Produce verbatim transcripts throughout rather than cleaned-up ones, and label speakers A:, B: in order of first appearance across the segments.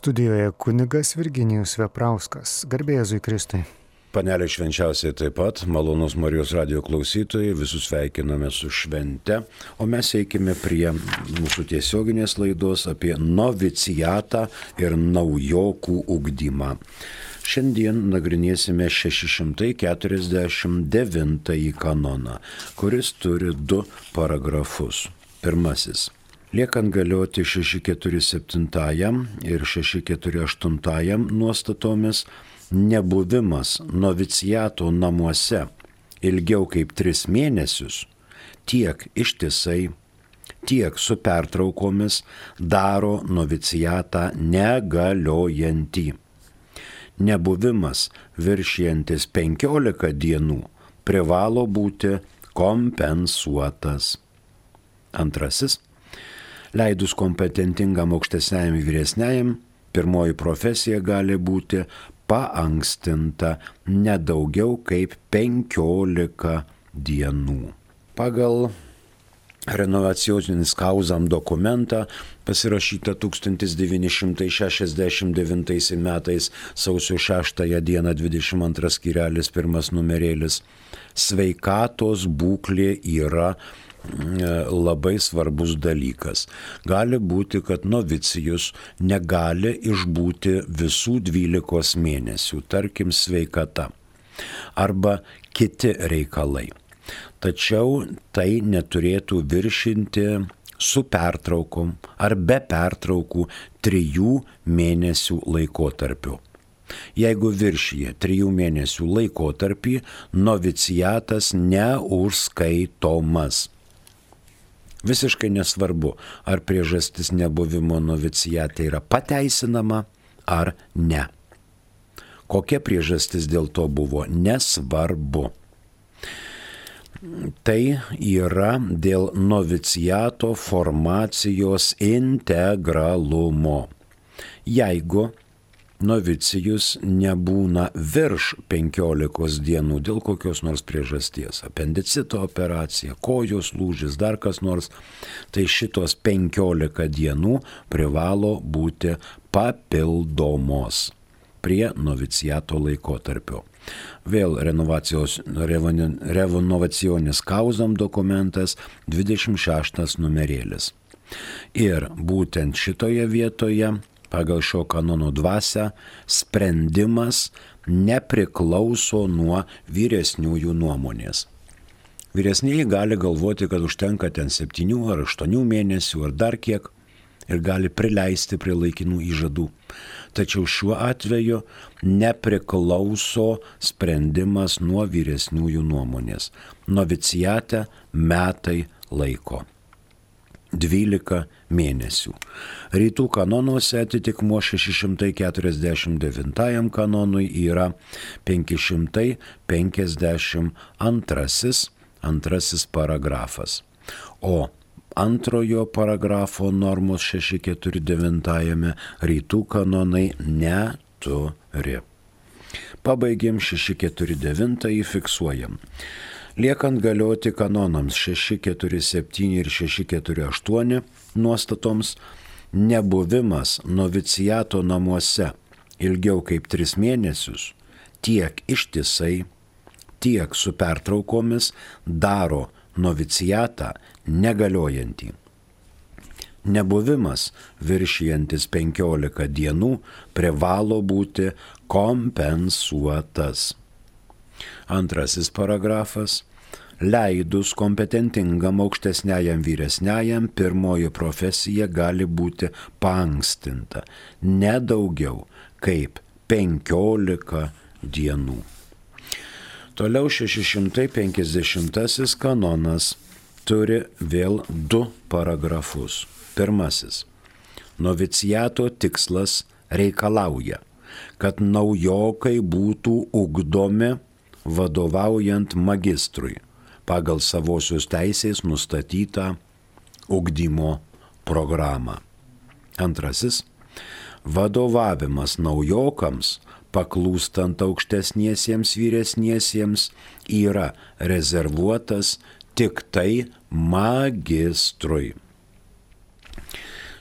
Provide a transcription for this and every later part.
A: Studijoje kunigas Virginijus Veprauskas. Garbė Jėzui Kristui.
B: Panelė švenčiausiai taip pat, malonus Marijos radijo klausytojai, visus sveikiname su švente, o mes eikime prie mūsų tiesioginės laidos apie novicijatą ir naujokų ugdymą. Šiandien nagrinėsime šeši šimtai keturiasdešimt devintąjį kanoną, kuris turi du paragrafus. Pirmasis. Liekant galioti šeši keturi septintajam ir šeši keturi aštuntajam nuostatomis, nebuvimas noviciato namuose ilgiau kaip tris mėnesius tiek ištisai, tiek su pertraukomis daro noviciatą negaliojantį. Nebuvimas viršijantis penkiolika dienų privalo būti kompensuotas. Antrasis. Leidus kompetentingam aukštesniajam vyresniajam, pirmoji profesija gali būti paankstinta nedaugiau kaip penkiolika dienų. Pagal renovacijonis kauzam dokumentą pasirašytą tūkstantis devyni šimtai šešiasdešimt devintais metais sausio šeštąją dieną dvidešimt antras skyrelis pirmas numerėlis, sveikatos būklė yra labai svarbus dalykas. Gali būti, kad novicijus negali išbūti visų dvylikos mėnesių, tarkim sveikata, arba kiti reikalai. Tačiau tai neturėtų viršinti su pertraukom ar be pertraukų trijų mėnesių laikotarpiu. Jeigu viršyje trijų mėnesių laikotarpį, noviciatas neužskaitomas. Visiškai nesvarbu, ar priežastis nebuvimo novicijate yra pateisinama ar ne. Kokia priežastis dėl to buvo, nesvarbu. Tai yra dėl noviciato formacijos integralumo. Jeigu novicijus nebūna virš penkiolikos dienų dėl kokios nors priežasties, apendicito operacija, kojos lūžis, dar kas nors, tai šitos penkiolika dienų privalo būti papildomos prie noviciato laikotarpio. Vėl renovacijonis kauzam dokumentas dvidešimt šeštas numerėlis. Ir būtent šitoje vietoje pagal šio kanono dvasią sprendimas nepriklauso nuo vyresniųjų nuomonės. Vyresnieji gali galvoti, kad užtenka ten septynių ar aštuonių mėnesių ar dar kiek ir gali prileisti prie laikinų įžadų. Tačiau šiuo atveju nepriklauso sprendimas nuo vyresniųjų nuomonės. Novicijate metai laiko. dvylika mėnesių. Rytų kanonuose atitikmuo šeši šimtai keturiasdešimt devintajam kanonui yra penki šimtai penkiasdešimt antrasis antrasis paragrafas. O antrojo paragrafo normos šeši keturi devintajame rytų kanonai neturi. Pabaigėm šeši keturi devintąjį, fiksuojam. Liekant galioti kanonams šeši keturi septyni ir šeši keturi aštuoni nuostatoms, nebuvimas noviciato namuose ilgiau kaip tris mėnesius tiek ištisai, tiek su pertraukomis daro noviciatą negaliojantį. Nebuvimas viršijantis penkiolika dienų privalo būti kompensuotas. Antrasis paragrafas. Leidus kompetentingam aukštesniajam vyresniajam, pirmoji profesija gali būti paankstinta ne daugiau kaip penkiolika dienų. Toliau šeši šimtai penkiasdešimtasis kanonas turi vėl du paragrafus. Pirmasis. Noviciato tikslas reikalauja, kad naujokai būtų ugdomi vadovaujant magistrui pagal savosios teisės nustatytą ugdymo programą. Antrasis. Vadovavimas naujokams, paklūstant aukštesniesiems vyresniesiems, yra rezervuotas tik tai magistrui.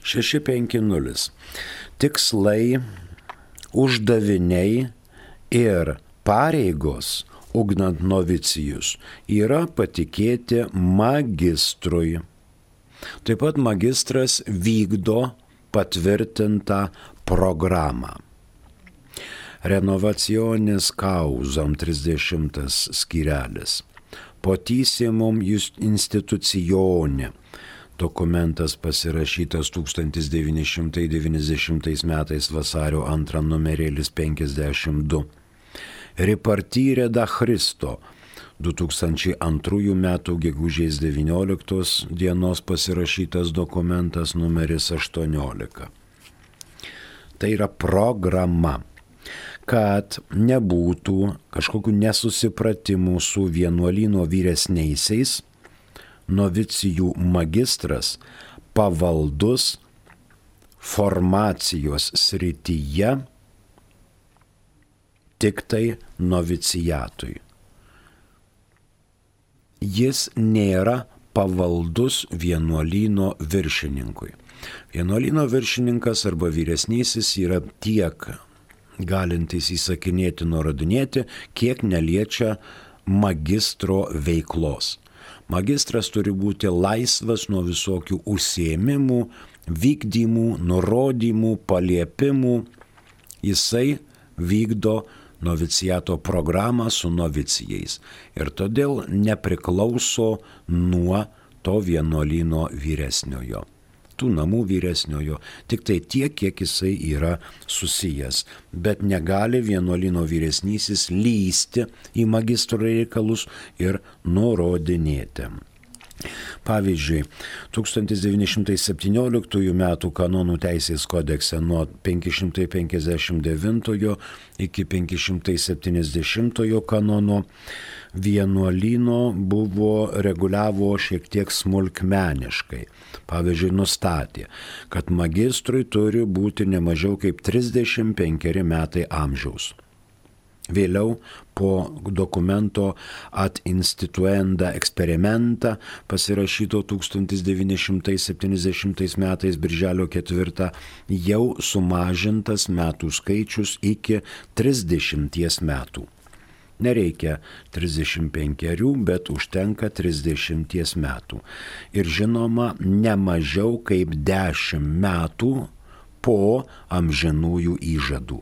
B: šeši penki nulis. tikslai, uždaviniai ir pareigos, ugdant novicijus, yra patikėti magistrui. Taip pat magistras vykdo patvirtintą programą. Renovacionis causam trisdešimtas skyrelis. Potissimum institucione. Dokumentas pasirašytas tūkstantis devyni šimtai devyniasdešimtais metais vasario antrą numerėlis penkiasdešimt du. Ripartire da Christo du tūkstančiai antrųjų metų gegužės devynioliktos dienos pasirašytas dokumentas numeris aštuoniolika. Tai yra programa, kad nebūtų kažkokių nesusipratimų su vienuolyno vyresniaisiais, novicijų magistras pavaldus formacijos srityje tik tai novicijatui. Jis nėra pavaldus vienuolyno viršininkui. Vienuolyno viršininkas arba vyresnysis yra tiek galintis įsakinėti, nurodinėti, kiek neliečia magistro veiklos. Magistras turi būti laisvas nuo visokių užsiėmimų, vykdymų, nurodymų, paliepimų. Jisai vykdo noviciato programą su novicijais ir todėl nepriklauso nuo to vienuolyno vyresniojo, tų namų vyresniojo, tik tai tiek, kiek jisai yra susijęs, bet negali vienuolyno vyresnysis lysti į magistro reikalus ir nurodinėti. Pavyzdžiui, tūkstantis devyni šimtai septynioliktųjų metų kanonų teisės kodekse nuo penki šimtai penkiasdešimt devintojo iki penki šimtai septyniasdešimtojo kanono vienuolyno buvo reguliavo šiek tiek smulkmeniškai. Pavyzdžiui, nustatė, kad magistrui turi būti ne mažiau kaip trisdešimt penkeri metai amžiaus. Vėliau po dokumento ad instituenda experimenta pasirašyto tūkstantis devyni šimtai septyniasdešimtais metais birželio ketvirtą jau sumažintas metų skaičius iki trisdešimties metų. Nereikia trisdešimt penkerių, bet užtenka trisdešimties metų. Ir žinoma, ne mažiau kaip dešimt metų po amžinųjų įžadų.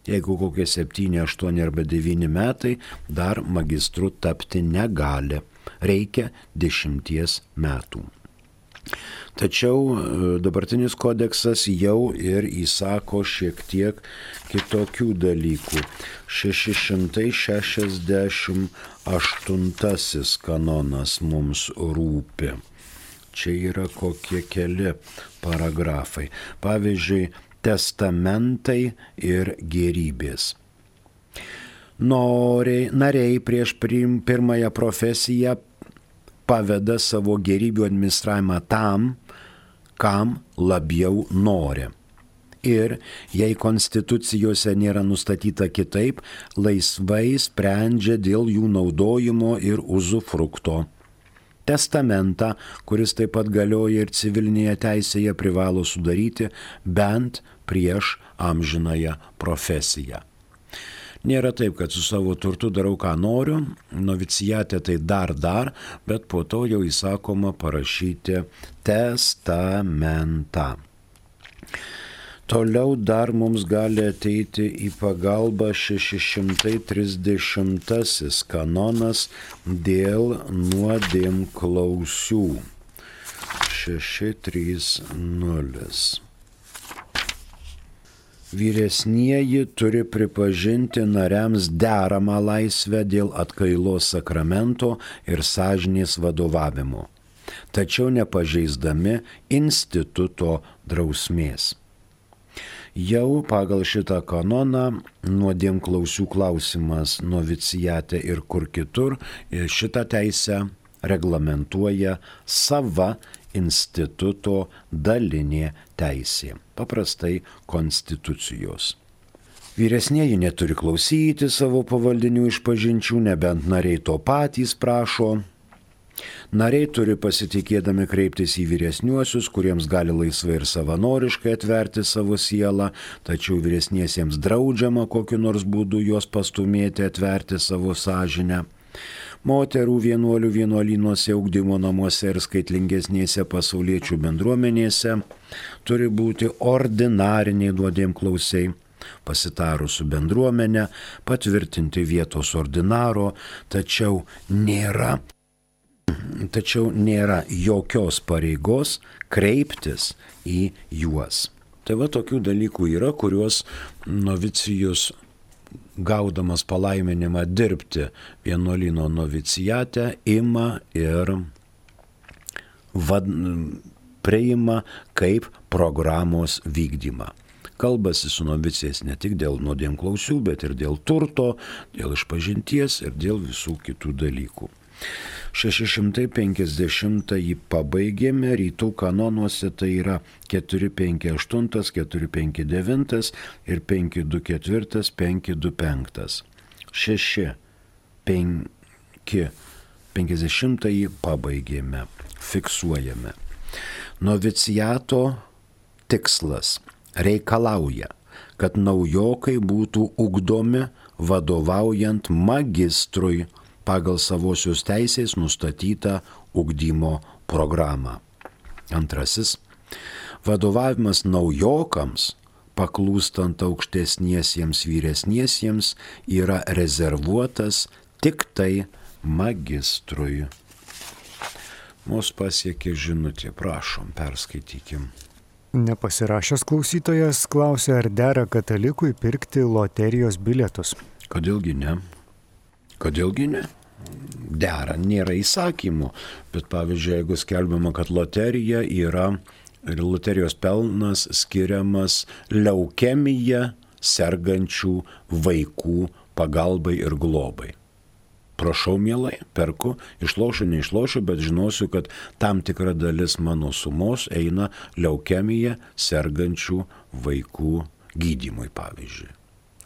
B: Jeigu kokie septyni, aštuoni arba devyni metai, dar magistru tapti negali. Reikia dešimties metų. Tačiau dabartinis kodeksas jau ir įsako šiek tiek kitokių dalykų. šeši šimtai šešiasdešimt aštuntasis kanonas mums rūpi. Čia yra kokie keli paragrafai. Pavyzdžiui, testamentai ir gėrybės. Noriai, nariai prieš pirmąją profesiją paveda savo gėrybių administravimą tam, kam labiau nori. Ir jei konstitucijose nėra nustatyta kitaip, laisvai sprendžia dėl jų naudojimo ir uzufrukto. Testamentą, kuris taip pat galioja ir civilinėje teisėje, privalo sudaryti bent prieš amžinąją profesiją. Nėra taip, kad su savo turtu darau, ką noriu, novicijate tai dar dar, bet po to jau įsakoma parašyti testamentą. Toliau dar mums gali ateiti į pagalbą šeši šimtai trisdešimtasis kanonas dėl nuodėmklausių. šeši trys nulis. Vyresnieji turi pripažinti nariams deramą laisvę dėl atkailos sakramento ir sąžinės vadovavimo, tačiau nepažeisdami instituto drausmės. Jau pagal šitą kanoną nuodėmklausių klausimas novicijate ir kur kitur šitą teisę reglamentuoja sava instituto dalinė teisė, paprastai konstitucijos. Vyresnieji neturi klausyti savo pavaldinių išpažinčių, nebent nariai to patys prašo. Nariai turi pasitikėdami kreiptis į vyresniuosius, kuriems gali laisvai ir savanoriškai atverti savo sielą, tačiau vyresniesiems draudžiama kokiu nors būdu juos pastumėti atverti savo sąžinę. Moterų vienuolių vienuolynuose, ugdymo namuose ir skaitlingesnėse pasauliečių bendruomenėse turi būti ordinariniai nuodėmklausiai. Pasitarus su bendruomenė, patvirtinti vietos ordinaro, tačiau nėra, tačiau nėra jokios pareigos kreiptis į juos. Tai va tokių dalykų yra, kuriuos novicijus gaudamas palaiminimą dirbti vienuolyno novicijate ima ir vad, priima kaip programos vykdymą. Kalbasi su novicijais ne tik dėl nuodėmklausių, bet ir dėl turto, dėl išpažinties ir dėl visų kitų dalykų. šeši šimtai penkiasdešimtąjį pabaigėme, rytų kanonuose tai yra keturi penki aštuoni, keturi penki devyni ir penki du keturi, penki du penki. šeši penki penkiasdešimtąjį pabaigėme, fiksuojame. Noviciato tikslas reikalauja, kad naujokai būtų ugdomi vadovaujant magistrui pagal savosios teisės nustatytą ugdymo programą. Antrasis. Vadovavimas naujokams, paklūstant aukštesniesiems vyresniesiems, yra rezervuotas tik tai magistrui. Mus pasiekė žinutė, prašom, perskaitykim.
A: Nepasirašęs klausytojas klausė, ar dera katalikui pirkti loterijos bilietus.
B: Kodėlgi ne? Kodėlgi ne? Dera, nėra įsakymų, bet pavyzdžiui, jeigu skelbiama, kad loterija yra ir loterijos pelnas skiriamas leukemija sergančių vaikų pagalbai ir globai. Prašau, mielai, perku, išlošiu, neišlošiu, bet žinosiu, kad tam tikra dalis mano sumos eina leukemija sergančių vaikų gydymui, pavyzdžiui.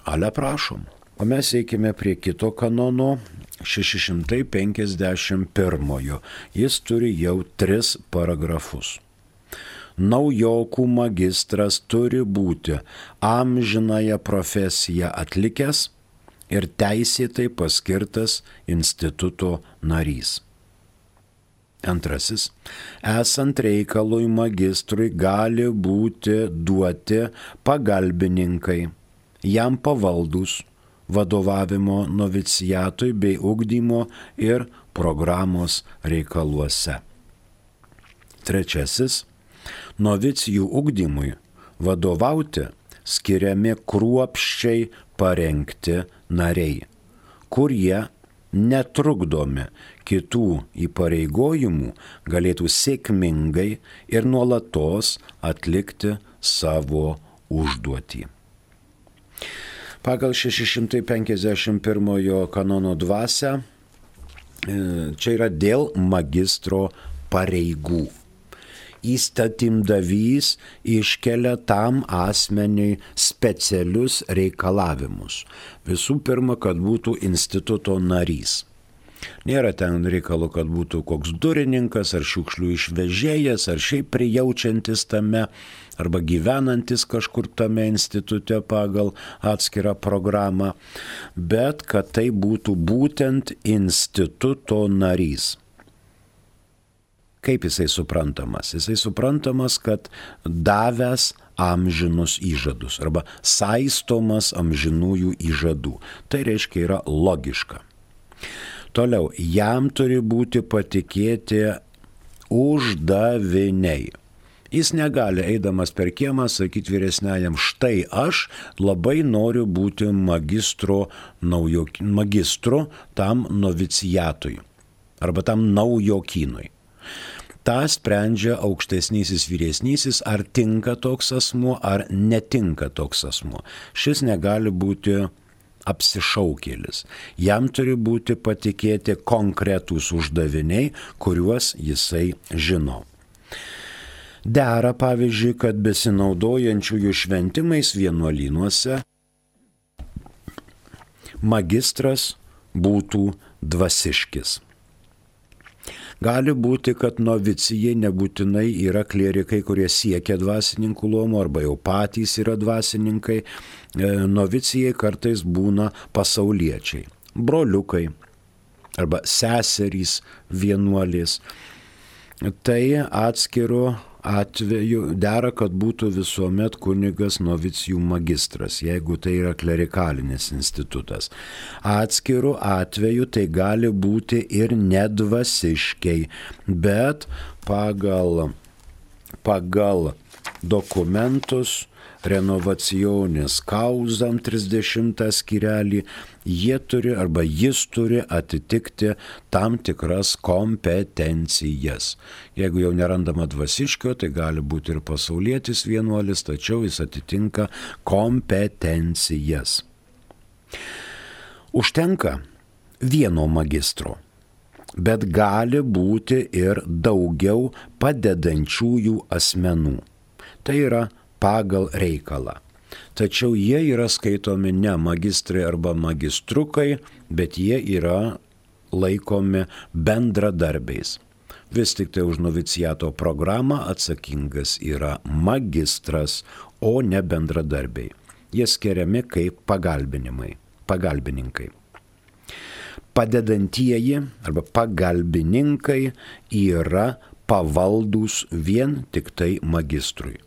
B: Ale prašom. O mes eikime prie kito kanono, šeši šimtai penkiasdešimt pirmojo. Jis turi jau tris paragrafus. Naujokų magistras turi būti amžinąją profesiją atlikęs ir teisėtai paskirtas instituto narys. Antrasis. Esant reikalui magistrui gali būti duoti pagalbininkai, jam pavaldus, vadovavimo novicijatui bei ugdymo ir programos reikaluose. Trečiasis. Novicijų ugdymui vadovauti skiriami kruopščiai parengti nariai, kurie netrukdomi kitų įpareigojimų galėtų sėkmingai ir nuolatos atlikti savo užduotį. Pagal šeši šimtai penkiasdešimt pirmojo kanono dvasią čia yra dėl magistro pareigų. Įstatymdavys iškelia tam asmeniui specialius reikalavimus. Visų pirma, kad būtų instituto narys. Nėra ten reikalo, kad būtų koks durininkas ar šiukšlių išvežėjas, ar šiaip prijaučiantis tame, arba gyvenantis kažkur tame institute pagal atskirą programą, bet kad tai būtų būtent instituto narys. Kaip jisai suprantamas? Jisai suprantamas, kad davęs amžinus įžadus arba saistomas amžinųjų įžadų. Tai reiškia yra logiška. Toliau, jam turi būti patikėti uždaviniai. Jis negali, eidamas per kiemą, sakyti vyresniajam, štai aš labai noriu būti magistro, naujo, magistro tam novicijatui arba tam naujokynui. Ta sprendžia aukštesnysis vyresnysis, ar tinka toks asmuo, ar netinka toks asmuo. Šis negali būti apsišaukėlis. Jam turi būti patikėti konkretūs uždaviniai, kuriuos jisai žino. Dera, pavyzdžiui, kad besinaudojančiųjų šventimais vienuolynuose magistras būtų dvasiškis. Gali būti, kad novicijai nebūtinai yra klierikai, kurie siekia dvasininkų luomo arba jau patys yra dvasininkai. Novicijai kartais būna pasauliečiai, broliukai arba seserys vienuolės. Tai atskiru atveju dera, kad būtų visuomet kunigas novicijų magistras, jeigu tai yra klerikalinis institutas. Atskiru atveju tai gali būti ir nedvasiškiai, bet pagal, pagal dokumentus renovacionis causam trisdešimtą skyrelį, jie turi arba jis turi atitikti tam tikras kompetencijas. Jeigu jau nerandama dvasiškio, tai gali būti ir pasaulietis vienuolis, tačiau jis atitinka kompetencijas. Užtenka vieno magistro, bet gali būti ir daugiau padedančiųjų asmenų. Tai yra pagal reikalą. Tačiau jie yra skaitomi ne magistrai arba magistrukai, bet jie yra laikomi bendradarbiais. Vis tik tai už noviciato programą atsakingas yra magistras, o ne bendradarbiai. Jie skiriami kaip pagalbinimai, pagalbininkai. Padedantieji arba pagalbininkai yra pavaldūs vien tik tai magistrui.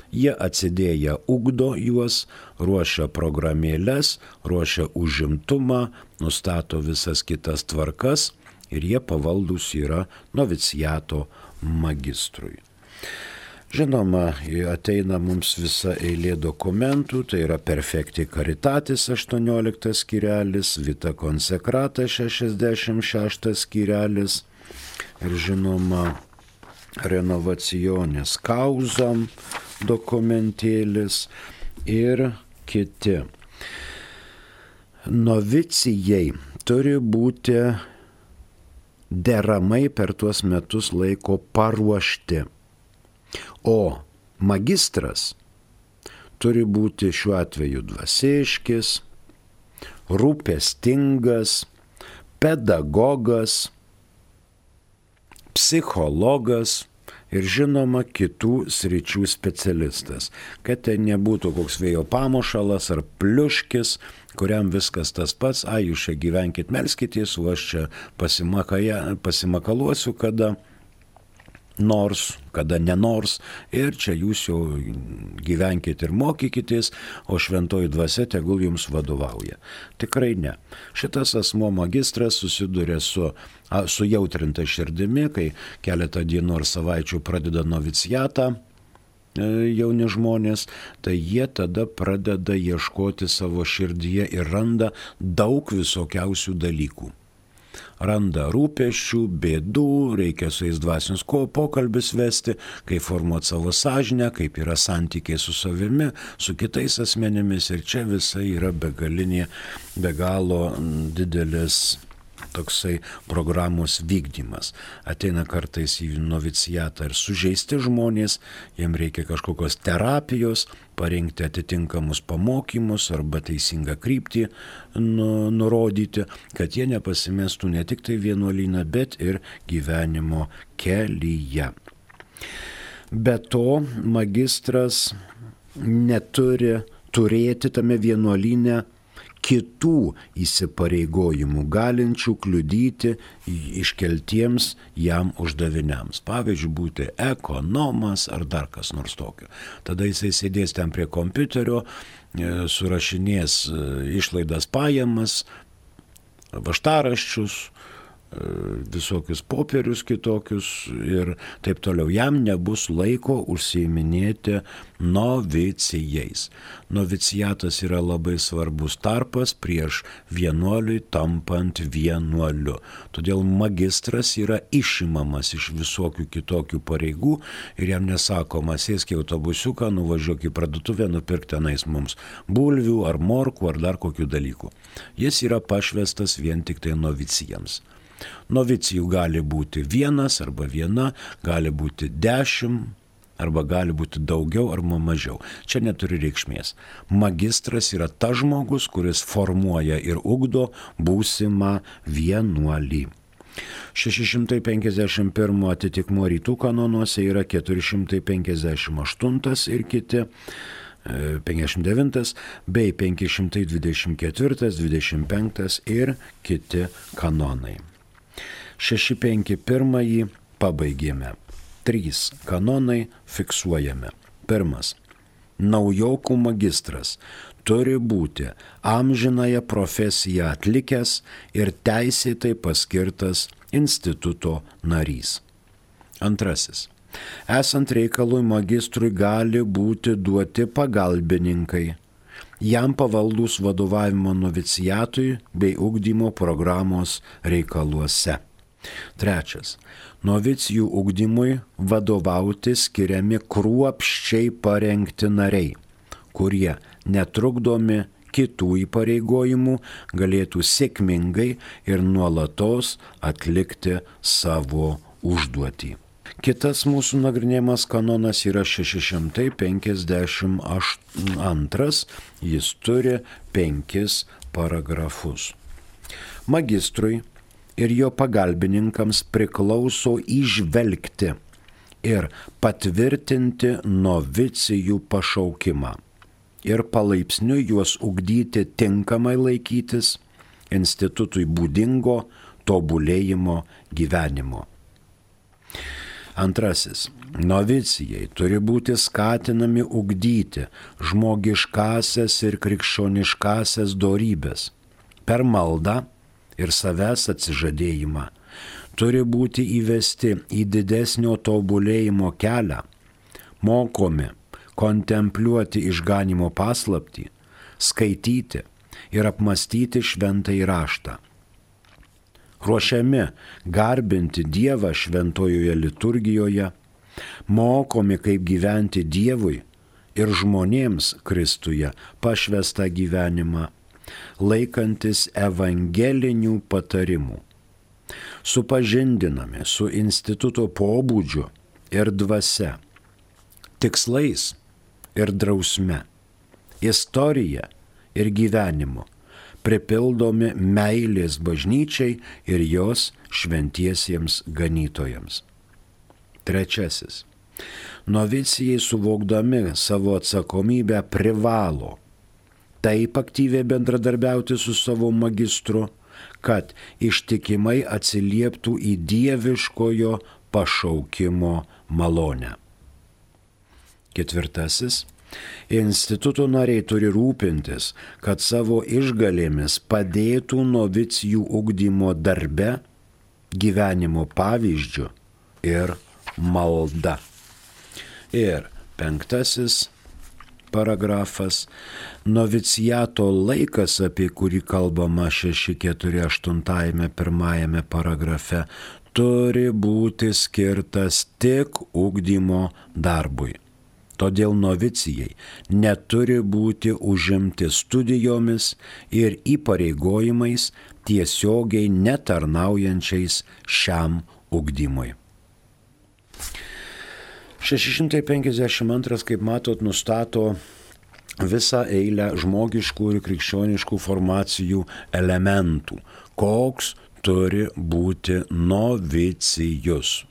B: Jie atsidėję ugdo juos, ruošia programėlės, ruošia užimtumą, nustato visas kitas tvarkas ir jie pavaldūs yra noviciato magistrui. Žinoma, ateina mums visa eilė dokumentų, tai yra Perfecti Caritatis aštuonioliktas skyrelis, Vita Consecrata šešiasdešimt šeštas skyrelis ir žinoma Renovacionis causam dokumentėlis ir kiti. Novicijai turi būti deramai per tuos metus laiko paruošti, o magistras turi būti šiuo atveju dvasiškis, rūpestingas, pedagogas, psichologas ir žinoma kitų sričių specialistas, kad tai nebūtų koks vėjo pamušalas ar pliuškis, kuriam viskas tas pats, a, jūs čia gyvenkit, melskitės, o aš čia pasimakaluosiu kada nors, kada nenors, ir čia jūs jau gyvenkit ir mokykitės, o šventoji dvasia tegul jums vadovauja. Tikrai ne. Šitas asmo magistras susiduria su sujautrinta širdimi, kai keletą dienų ar savaičių pradeda noviciatą jauni žmonės, tai jie tada pradeda ieškoti savo širdyje ir randa daug visokiausių dalykų. Randa rūpesčių, bėdų, reikia su jais dvasinius pokalbis vesti, kaip formuoti savo sąžinę, kaip yra santykiai su savimi, su kitais asmenimis, ir čia visa yra begalinė, be galo didelis toksai programos vykdymas. Ateina kartais į novicijatą ir sužeisti žmonės, jiem reikia kažkokios terapijos, parinkti atitinkamus pamokymus arba teisingą kryptį nu, nurodyti, kad jie nepasimestų ne tik tai vienuolyną, bet ir gyvenimo kelyje. Be to, magistras neturi turėti tame vienuolyne kitų įsipareigojimų, galinčių kliudyti iškeltiems jam uždaviniams. Pavyzdžiui, būti ekonomas ar dar kas nors tokio. Tada jisai sėdės ten prie kompiuterio, surašinės išlaidas pajamas, vaštaraščius, visokius popierius kitokius ir taip toliau. Jam nebus laiko užsiiminėti novicijais. Noviciatas yra labai svarbus tarpas prieš vienuoliui tampant vienuoliu. Todėl magistras yra išimamas iš visokių kitokių pareigų ir jam nesakoma, sėsk į autobusiuką, nuvažiuok į parduotuvę, nupirk tenais mums bulvių ar morkų ar dar kokių dalykų. Jis yra pašvestas vien tik tai novicijams. Novicijų gali būti vienas arba viena, gali būti dešimt, arba gali būti daugiau arba mažiau. Čia neturi reikšmės. Magistras yra tas žmogus, kuris formuoja ir ugdo būsimą vienuolį. šeši šimtai penkiasdešimt pirmas atitikmuo rytų kanonuose yra keturi šimtai penkiasdešimt aštuntas ir kiti, penkiasdešimt devintas bei penki šimtai dvidešimt ketvirtas, dvidešimt penktas ir kiti kanonai. šeši penki pirmąjį pabaigėme. Trys kanonai fiksuojame. Pirmas. Naujokų magistras turi būti amžinąją profesiją atlikęs ir teisėtai paskirtas instituto narys. Antrasis. Esant reikalui magistrui gali būti duoti pagalbininkai, jam pavaldus vadovavimo novicijatui bei ugdymo programos reikaluose. Trečias. Novicijų ugdymui vadovauti skiriami kruopščiai parengti nariai, kurie netrukdomi kitų įpareigojimų galėtų sėkmingai ir nuolatos atlikti savo užduotį. Kitas mūsų nagrinėjimas kanonas yra šeši šimtai penkiasdešimt antras, jis turi penkis paragrafus. Magistrui ir jo pagalbininkams priklauso įžvelgti ir patvirtinti novicijų pašaukimą ir palaipsniui juos ugdyti tinkamai laikytis institutui būdingo tobulėjimo gyvenimo. Antrasis. Novicijai turi būti skatinami ugdyti žmogiškasias ir krikščioniškasias dorybes per maldą ir savęs atsižadėjimą, turi būti įvesti į didesnio tobulėjimo kelią, mokomi kontempliuoti išganimo paslaptį, skaityti ir apmastyti šventąjį raštą. Ruošiami garbinti Dievą šventojoje liturgijoje, mokomi kaip gyventi Dievui ir žmonėms Kristuje pašvestą gyvenimą, laikantis evangelinių patarimų. Supažindinami su instituto pobūdžiu ir dvasia, tikslais ir drausme, istorija ir gyvenimu, pripildomi meilės bažnyčiai ir jos šventiesiems ganytojams. Trečiasis. Novicijai suvokdami savo atsakomybę privalo taip aktyviai bendradarbiauti su savo magistru, kad ištikimai atsilieptų į dieviškojo pašaukimo malonę. Ketvirtasis. Instituto nariai turi rūpintis, kad savo išgalėmis padėtų novicijų ugdymo darbe, gyvenimo pavyzdžiu ir malda. Ir penktasis paragrafas. Noviciato laikas, apie kurį kalbama šeši keturi aštuntajame pirmajame paragrafe, turi būti skirtas tik ugdymo darbui. Todėl novicijai neturi būti užimti studijomis ir įpareigojimais tiesiogiai netarnaujančiais šiam ugdymui. šeši šimtai penkiasdešimt antras, kaip matot, nustato visą eilę žmogiškų ir krikščioniškų formacijų elementų. Koks turi būti novicijus?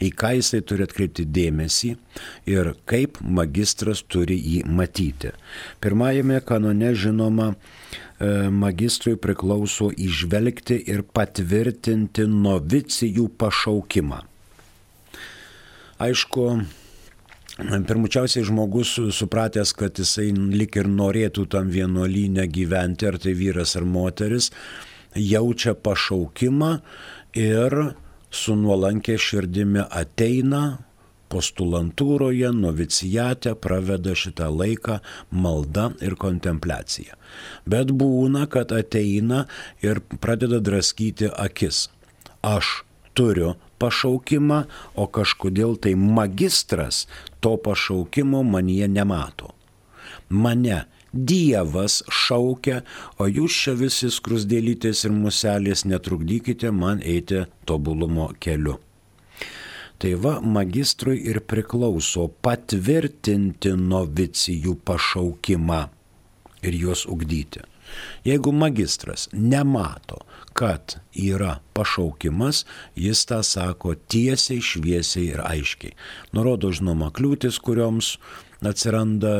B: Į ką jisai turi atkreipti dėmesį ir kaip magistras turi jį matyti. Pirmajame kanone, žinoma, magistrui priklauso įžvelgti ir patvirtinti novicijų pašaukimą. Aišku, pirmučiausiai žmogus supratęs, kad jisai lik ir norėtų tam vienuolyne gyventi, ar tai vyras ar moteris, jaučia pašaukimą ir su nuolankė širdimi ateina postulantūroje, novicijate, praveda šitą laiką malda ir kontempliacija. Bet būna, kad ateina ir pradeda draskyti akis. Aš turiu pašaukimą, o kažkodėl tai magistras to pašaukimo manyje nemato. Mane Dievas šaukia, o jūs čia visi skrusdėlytės ir muselės netrukdykite man eiti tobulumo keliu. Tai va, magistrui ir priklauso patvirtinti novicijų pašaukimą, ir juos ugdyti. Jeigu magistras nemato, kad yra pašaukimas, jis tą sako tiesiai, šviesiai ir aiškiai. Nurodo, žinoma, kliūtis, kurioms atsiranda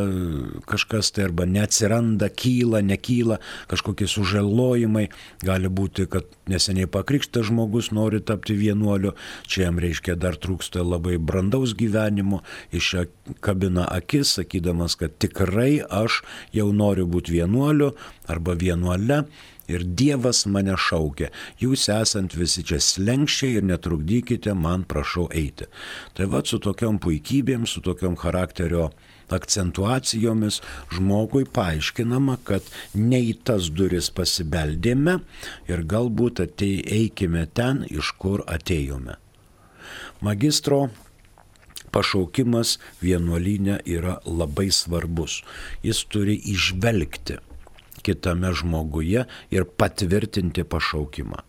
B: kažkas tai arba neatsiranda, kyla, nekyla, kažkokie sužalojimai. Gali būti, kad neseniai pakrikštas žmogus nori tapti vienuoliu, čia jam reiškia dar trūksta labai brandaus gyvenimo, iš čia kabina akis, sakydamas, kad tikrai aš jau noriu būti vienuoliu arba vienuole. Ir Dievas mane šaukia, jūs esant visi čia slenkščiai ir netrukdykite man, prašau eiti. Tai va, su tokiom puikybėm, su tokiom charakterio akcentuacijomis žmogui paaiškinama, kad ne į tas duris pasibeldėme ir galbūt atei, eikime ten, iš kur atėjome. Magistro pašaukimas vienuolyne yra labai svarbus. Jis turi įžvelgti kitame žmoguje ir patvirtinti pašaukimą.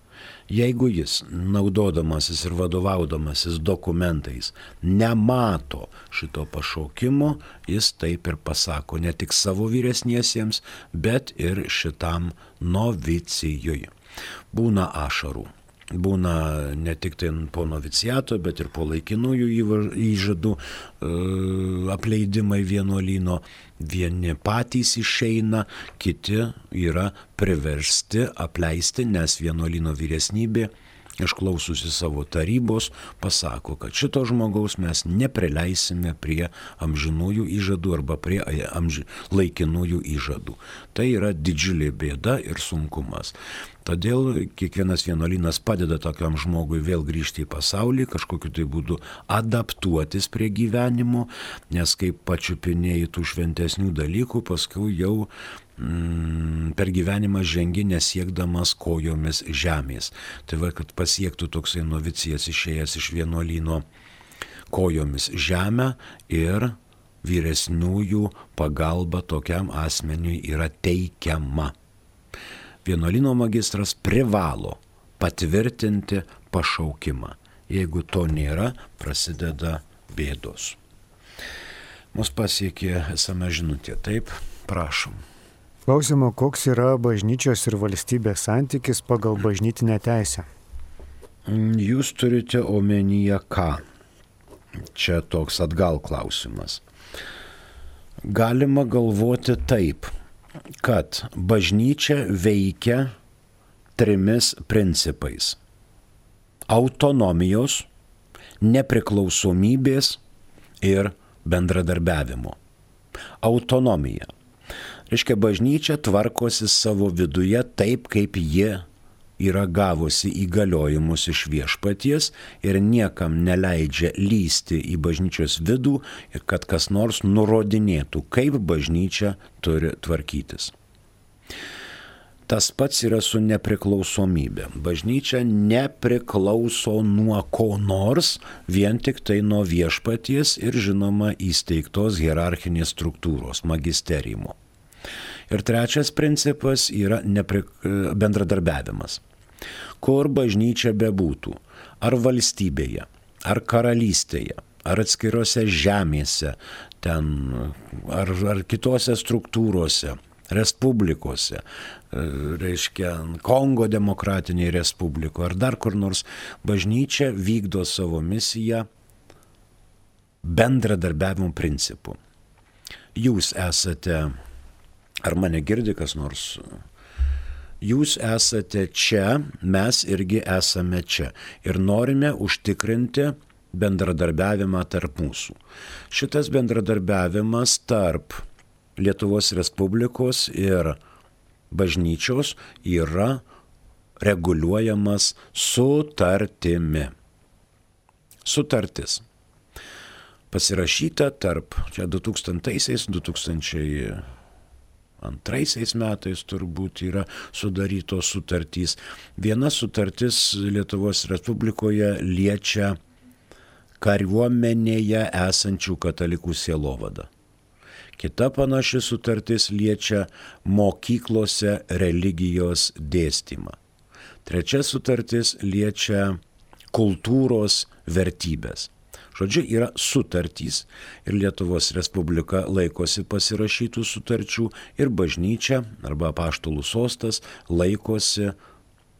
B: Jeigu jis, naudodamasis ir vadovaudamasis dokumentais, nemato šito pašaukimo, jis taip ir pasako ne tik savo vyresniesiems, bet ir šitam novicijui. Būna ašarų. Būna ne tik tai po noviciato, bet ir po laikinųjų įžadų apleidimai vienuolyno. Vieni patys išeina, kiti yra priversti apleisti, nes vienuolyno vyresnybė, išklaususi savo tarybos, pasako, kad šito žmogaus mes neprileisime prie amžinųjų įžadų arba prie amži... laikinųjų įžadų. Tai yra didžiulė bėda ir sunkumas. Todėl kiekvienas vienuolynas padeda tokiam žmogui vėl grįžti į pasaulį, kažkokiu tai būdu adaptuotis prie gyvenimo, nes kaip pačiupinėjai tų šventesnių dalykų, paskui jau mm, per gyvenimą žengi nesiekdamas kojomis žemės. Tai va, kad pasiektų toksai novicijas išėjęs iš vienuolyno kojomis žemę ir vyresniųjų pagalba tokiam asmeniui yra teikiama. Vienuolyno magistras privalo patvirtinti pašaukimą. Jeigu to nėra, prasideda bėdos. Mus pasiekė esama žinutė. Taip, prašom.
A: Klausimo, koks yra bažnyčios ir valstybės santykis pagal bažnytinę teisę?
B: Jūs turite omenyje ką? Čia toks atgal klausimas. Galima galvoti taip, kad bažnyčia veikia trimis principais: autonomijos, nepriklausomybės ir bendradarbiavimo. Autonomija. Reiškia, bažnyčia tvarkosi savo viduje taip, kaip jie yra gavusi įgaliojimus iš viešpaties ir niekam neleidžia lysti į bažnyčios vidų ir kad kas nors nurodinėtų, kaip bažnyčia turi tvarkytis. Tas pats yra su nepriklausomybė. Bažnyčia nepriklauso nuo ko nors, vien tik tai nuo viešpaties ir žinoma įsteigtos hierarchinės struktūros, magisteriumo. Ir trečias principas yra nepri... bendradarbiavimas. Kur bažnyčia bebūtų, ar valstybėje, ar karalystėje, ar atskirose žemėse, ten, ar, ar kitose struktūrose, respublikose, reiškia Kongo demokratinėje respublikoje, ar dar kur nors, bažnyčia vykdo savo misiją bendradarbiavimo principu. Jūs esate, ar mane girdi kas nors? Jūs esate čia, mes irgi esame čia ir norime užtikrinti bendradarbiavimą tarp mūsų. Šitas bendradarbiavimas tarp Lietuvos Respublikos ir bažnyčios yra reguliuojamas sutartimi. Sutartis. Pasirašyta tarp, čia du tūkstantaisiais, du tūkstančiai antraisiais metais turbūt yra sudarytos sutartys. Viena sutartis Lietuvos Respublikoje liečia kariuomenėje esančių katalikų sielovadą. Kita panaši sutartis liečia mokyklose religijos dėstymą. Trečia sutartis liečia kultūros vertybės. Žodžiu, yra sutartys ir Lietuvos Respublika laikosi pasirašytų sutarčių ir bažnyčia arba apaštalų sostas laikosi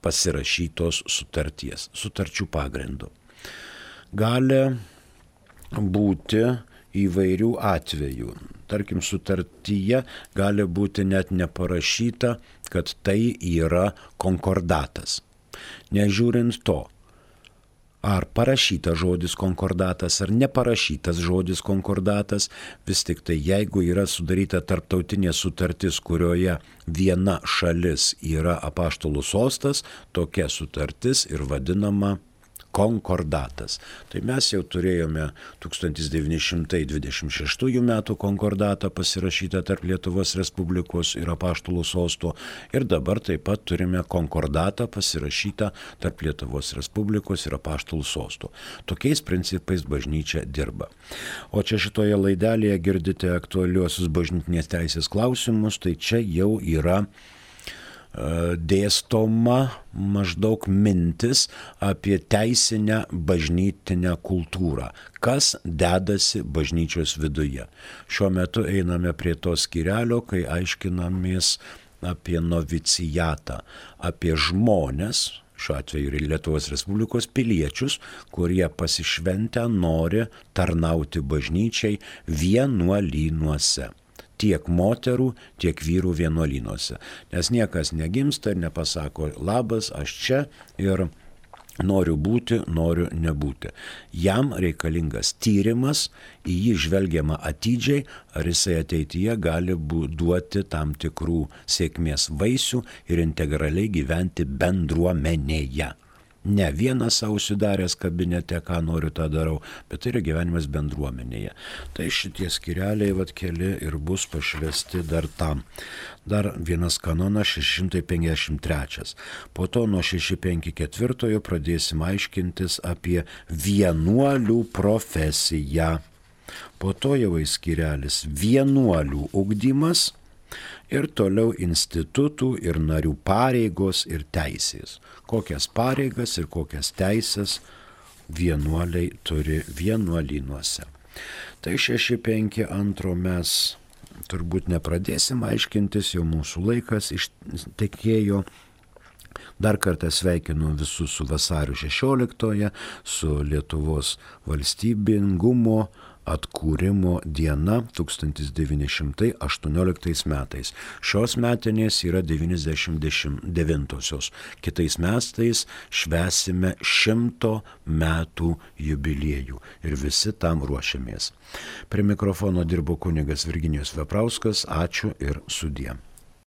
B: pasirašytos sutarties, sutarčių pagrindų. Gali būti įvairių atvejų. Tarkim, sutartyje gali būti net neparašyta, kad tai yra konkordatas. Nežiūrint to, ar parašytas žodis konkordatas, ar neparašytas žodis konkordatas, vis tik tai jeigu yra sudaryta tarptautinė sutartis, kurioje viena šalis yra apaštalų sostas, tokia sutartis ir vadinama konkordatas. Tai mes jau turėjome tūkstantis devyni šimtai dvidešimt šeštųjų metų konkordatą pasirašytą tarp Lietuvos Respublikos ir apaštalų sosto ir dabar taip pat turime konkordatą pasirašytą tarp Lietuvos Respublikos ir apaštalų sosto. Tokiais principais bažnyčia dirba. O čia šitoje laidelėje girdite aktualiuosius bažnytinės teisės klausimus, tai čia jau yra dėstoma maždaug mintis apie teisinę bažnytinę kultūrą, kas dedasi bažnyčios viduje. Šiuo metu einame prie to skyrelio, kai aiškinamės apie novicijatą, apie žmones, šiuo atveju ir Lietuvos Respublikos piliečius, kurie pasišventę nori tarnauti bažnyčiai vienuolynuose. Tiek moterų, tiek vyrų vienuolynuose. Nes niekas negimsta ir nepasako labas, aš čia ir noriu būti, noriu nebūti. Jam reikalingas tyrimas, į jį žvelgiama atidžiai, ar jisai ateityje gali duoti tam tikrų sėkmės vaisių ir integraliai gyventi bendruomenėje. Ne vienas savo užsidaręs kabinete, ką noriu, tą darau, bet tai yra gyvenimas bendruomenėje. Tai šitie skyreliai vat keli ir bus pašvesti dar tam. Dar vienas kanonas šeši šimtai penkiasdešimt trečias. Po to nuo šeši šimtai penkiasdešimt ketvirtojo pradėsim aiškintis apie vienuolių profesiją. Po to jau įskyrelis vienuolių ugdymas. Ir toliau institutų ir narių pareigos ir teisės. Kokias pareigas ir kokias teisės vienuoliai turi vienuolynuose. Tai šeši penki antro mes turbūt nepradėsim aiškintis, jau mūsų laikas ištekėjo. Dar kartą sveikinu visus su vasario šešioliktoje, su Lietuvos valstybingumo atkūrimo diena tūkstantis devyni šimtai aštuonioliktais metais. Šios metinės yra devyniasdešimt devintosios. Kitais metais švęsime šimto metų jubiliejų ir visi tam ruošiamės. Prie mikrofono dirbo kunigas Virginijus Veprauskas. Ačiū ir sudie.